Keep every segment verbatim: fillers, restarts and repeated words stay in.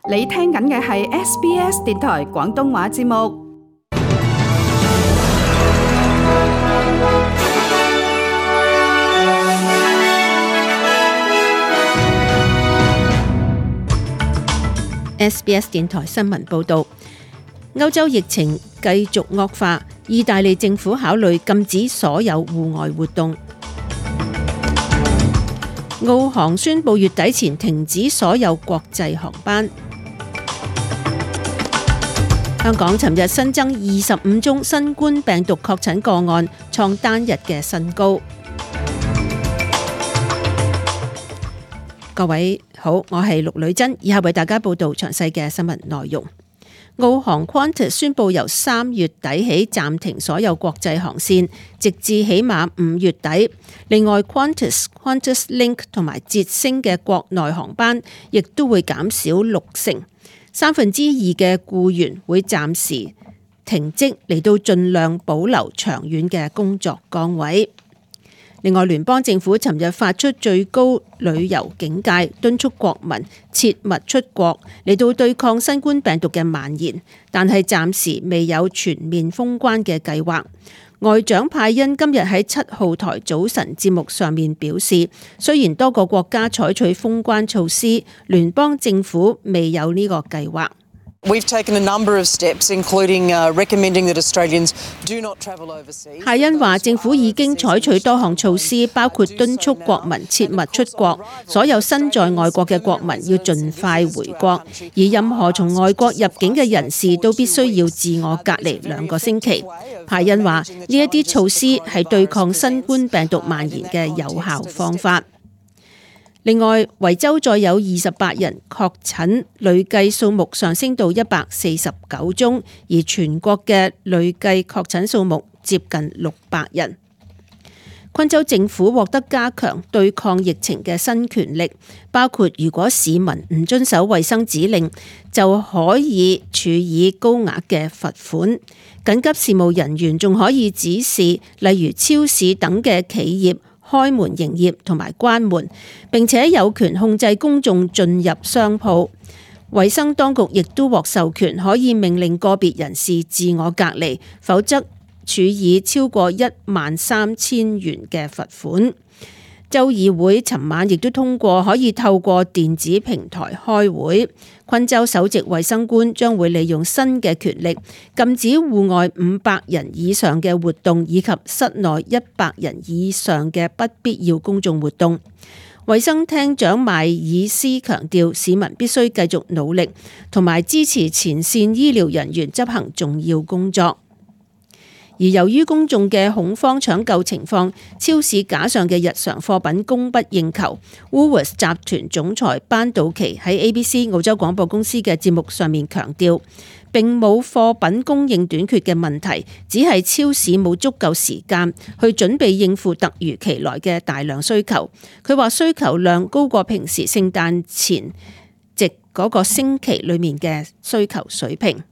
你聽緊嘅係 S B S 電台廣東話節目。S B S 電台新聞報導，歐洲疫情繼續惡化，意大利政府考慮禁止所有戶外活動。澳航宣布月底前停止所有國際航班。香港尋日新增二十五宗新冠病毒確診個案，創單日嘅新高。各位好，我係陸女珍，以下為大家報道詳細嘅新聞內容。澳航 Qantas 宣布由三月底起暫停所有國際航線，直至起碼五月底。另外 Qantas、Qantas Link 同埋捷星嘅國內航班亦都會減少六成，三分之二嘅僱員會暫時停職，嚟到盡量保留長遠嘅工作崗位。另外，聯邦政府尋日發出最高旅遊警戒，敦促國民切勿出國，嚟到對抗新冠病毒嘅蔓延，但係暫時未有全面封關嘅計劃。外長派恩今日喺七號台早晨節目上面表示，雖然多個國家採取封關措施，聯邦政府未有呢個計劃。We've taken a number of steps, including recommending that Australians do not travel overseas. 派恩話，政府已經採取多項措施，包括敦促國民切勿出國，所有身在外國嘅國民要盡快回國，而任何從外國入境嘅人士都必須要自我隔離兩個星期。派恩話，呢一啲措施係對抗新冠病毒蔓延嘅有效方法。另外，維州再有二十八人確診，累計數目上升到一百四十九宗，而全國嘅累計確診數目接近六百人。昆州政府獲得加強對抗疫情嘅新權力，包括如果市民唔遵守衛生指令，就可以處以高額嘅罰款。緊急事務人員仲可以指示，例如超市等嘅企業開門營業同埋關門，並且有權控制公眾進入商鋪。衛生當局亦都獲授權可以命令個別人士自我隔離，否則處以超過一萬三千元嘅罰款。州議會尋晚亦都通過可以透過電子平台開會。昆州首席衛生官將會利用新嘅權力，禁止戶外五百人以上嘅活動，以及室內一百人以上嘅不必要公眾活動。衛生廳長邁爾斯強調，市民必須繼續努力，同埋支持前線醫療人員執行重要工作。而由於公眾嘅恐慌搶購情況，超市架上嘅日常貨品供不應求。Woolworths 集團總裁班道奇喺 A B C 澳洲廣播公司嘅節目上面強調，並冇貨品供應短缺嘅問題，只係超市冇足夠時間去準備應付突如其來嘅大量需求。佢話需求量高過平時聖誕前夕嗰個星期裏面嘅需求水平。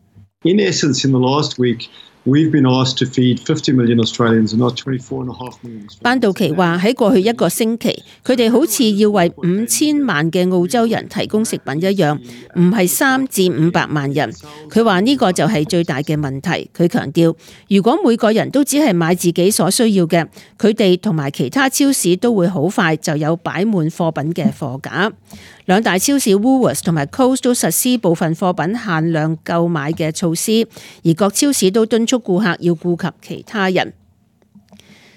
In essence, in the last week, We've been asked to feed fifty million Australians and not twenty-four and a half million Australians. 班道奇話喺過去一個星期，佢哋好似要為五千萬嘅澳洲人提供食品一樣，唔係三至五百萬人。佢話呢個就係最大嘅問題。佢強調，如果每個人都只係買自己所需要嘅，佢哋同埋其他超市都會好快就有擺滿貨品嘅貨架。兩大超市 Woolworths 同埋 Coles 都實施部分貨品限量購買嘅措施，而各超市都敦促顧客要顧及其他人。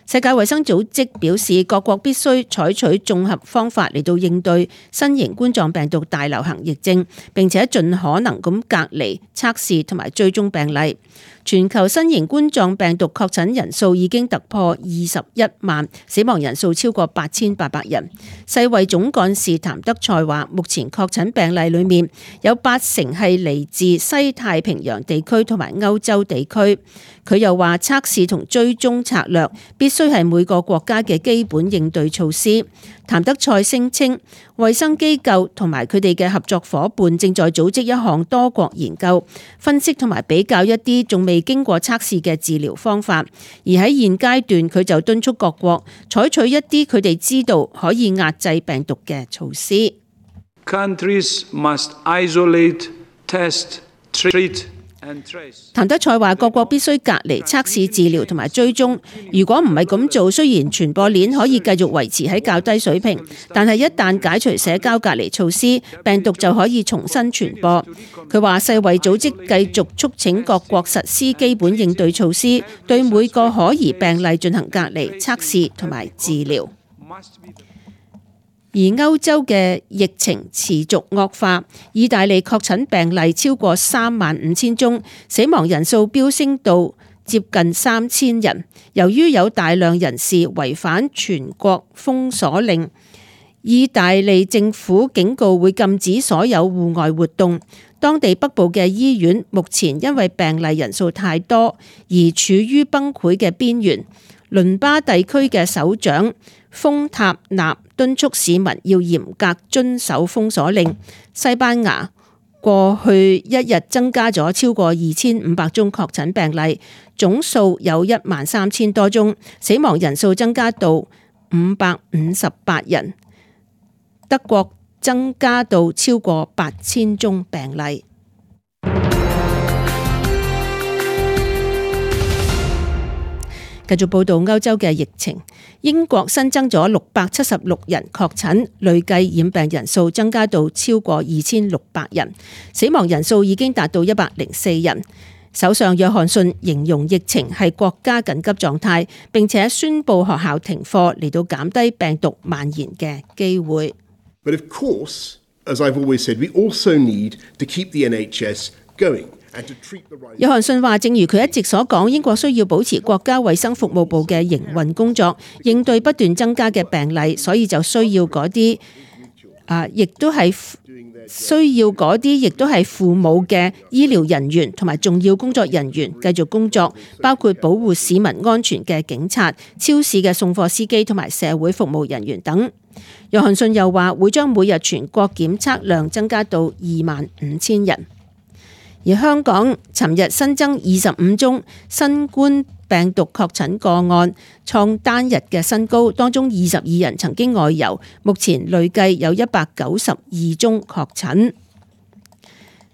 世界衛生組織表示，各國必須採取綜合方法嚟到應對新型冠狀病毒大流行疫症，並且盡可能咁隔離、測試同埋追蹤病例。全球新型冠狀病毒確診人數已經突破二十一萬，死亡人數超過八千八百人。世衛總幹事譚德塞話，目前確診病例裏面有八成係嚟自西太平洋地區同埋歐洲地區。佢又話，測試同追蹤策略必須係每個國家嘅基本應對措施。譚德塞聲稱，衛生機構同埋佢哋嘅合作夥伴正在組織一項多國研究，分析同埋比較一啲仲未經過測試嘅治療方法。而喺現階段，佢就敦促各國採取一啲佢哋知道可以壓制病毒嘅措施。Countries must isolate, test, treat.譚德塞話：各國必須隔離、測試、治療同埋追蹤。如果唔係咁做，雖然傳播鏈可以繼續維持喺較低水平，但係一旦解除社交隔離措施，病毒就可以重新傳播。佢話：世衛組織繼續促請各國實施基本應對措施，對每個可疑病例進行隔離、測試同埋治療。而歐洲嘅疫情持續惡化，意大利確診病例超過三萬五千宗，死亡人數飆升到接近三千人。由於有大量人士違反全國封鎖令，意大利政府警告會禁止所有戶外活動。當地北部嘅醫院目前因為病例人數太多而處於崩潰嘅邊緣。倫巴地區嘅首長豐塔納敦促市民要嚴格遵守封鎖令。西班牙過去一日增加咗超過二千五百宗確診病例，總數有一萬三千多宗，死亡人數增加到五百五十八人。德國增加到超過八千宗病例。繼續報道歐洲嘅疫情，英國新增咗六百七十六人確診，累計染病人數增加到超過二千六百人，死亡人數已經達到一百零四人。首相約翰遜形容疫情係國家緊急狀態，並且宣布學校停課嚟到減低病毒蔓延嘅機會。But of course, as I've always said, we also need to keep the N H S going. 約翰遜話：正如佢一直所講，英國需要保持國家衛生服務部嘅營運工作，應對不斷增加嘅病例，所以就需要嗰啲啊，亦都係需要嗰啲，亦都係父母嘅醫療人員同埋重要工作人員繼續工作，包括保護市民安全嘅警察、超市嘅送貨司機同埋社會服務人員等。約翰遜又話：會將每日全國檢測量增加到二萬五千人。而香港尋日新增二十五宗新冠病毒確診個案，創單日嘅新高，當中二十二人曾經外遊，目前累計有一百九十二宗確診。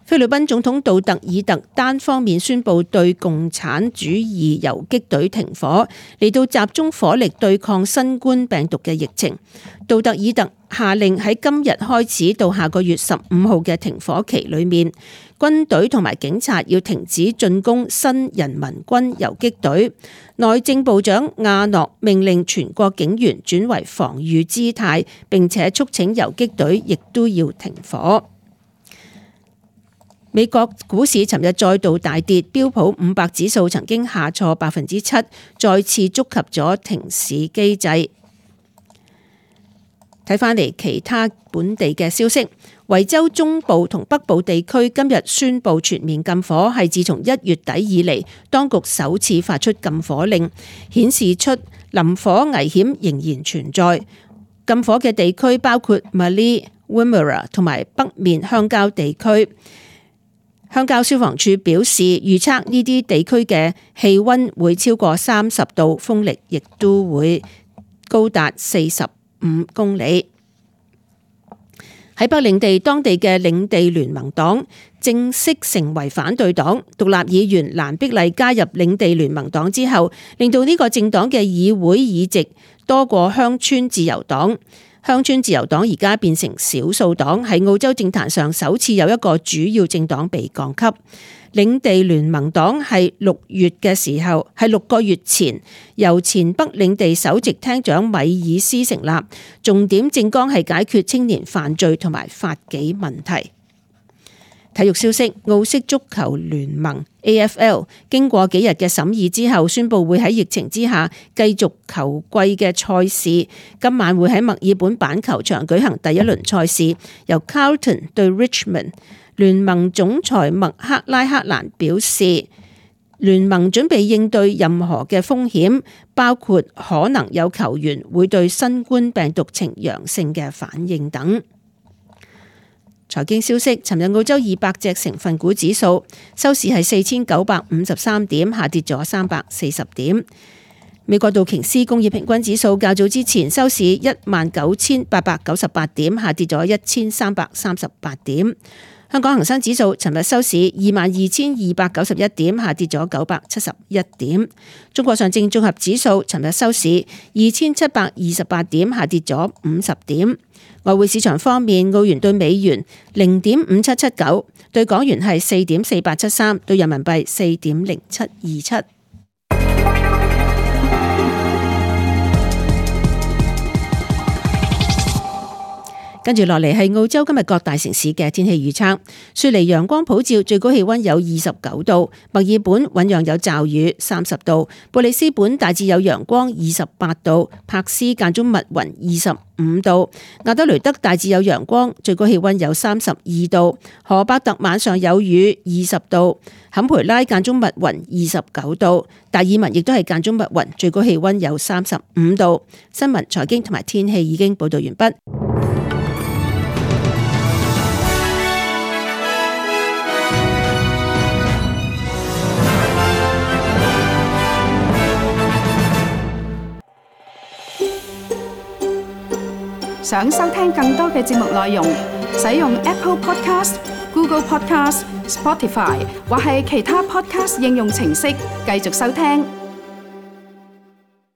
菲律賓總統杜特爾特單方面宣布對共產主義游擊隊停火，嚟到集中火力對抗新冠病毒嘅疫情。杜特爾特下令喺今日開始到下個月十五號嘅停火期裏面，軍隊同埋警察要停止進攻新人民軍游擊隊。內政部長亞諾命令全國警員轉為防禦姿態，並且促請游擊隊亦都要停火。美國股市尋日再度大跌，標普五百指數曾經下挫百分之七，再次觸及咗停市機制。睇返嚟其他本地嘅消息，維州中部同北部地區今日宣布全面禁火，係自從一月底以嚟，當局首次發出禁火令，顯示出林火危險仍然存在。禁火嘅地區包括 Mallee、Wimmera 同埋北面鄉郊地區。鄉郊消防處表示，預測呢啲地區嘅氣溫會超過三十度，風力亦都會高達四十五公里。喺北領地，當地嘅領地聯盟黨正式成為反對黨。獨立議員蘭碧麗加入領地聯盟黨之後，令到呢個政黨嘅議會議席多過鄉村自由黨。鄉村自由黨而家變成少數黨，喺澳洲政壇上首次有一個主要政黨被降級。領地聯盟黨係六月嘅時候，係六個月前由前北領地首席廳長米爾斯成立，重點政綱係解決青年犯罪同埋法紀問題。體育消息，澳式足球聯盟 A F L 經過幾日嘅審議之後，宣布會喺疫情之下繼續球季嘅賽事。今晚會喺墨爾本板球場舉行第一輪賽事，由 Carlton 對 Richmond。聯盟總裁麥克拉克蘭表示，聯盟準備應對任何嘅風險，包括可能有球員會對新冠病毒呈陽性嘅反應等。財經消息，尋日澳洲二百隻成分股指數收市係四千九百五十三點，下跌咗三百四十點。美國道瓊斯工業平均指數較早之前收市一萬九千八百九十八點，下跌咗一千三百三十八點。香港恒生指數尋日收市二萬二千二百九十一點，下跌咗九百七十一點。中國上證綜合指數尋日收市二千七百二十八點，下跌咗五十點。外匯市場方面，澳元對美元零點五七七九，對港元係四點四八七三，對人民幣四點零七二七。跟住落嚟係澳洲今日各大城市嘅天氣預測。雪梨陽光普照，最高氣溫有二十九度；墨爾本醞釀有驟雨，三十度；布里斯本大致有陽光，二十八度；柏斯間中密雲，二十五度；亞德雷德大致有陽光，最高氣溫有三十二度；荷伯特晚上有雨，二十度；坎培拉間中密雲，二十九度；達爾文亦都係間中密雲，最高氣溫有三十五度。新聞、財經同埋天氣已經報道完畢。想收聽更多嘅節目內容，使用 Apple Podcast、Google Podcast、Spotify 或係其他 Podcast 應用程式繼續收聽。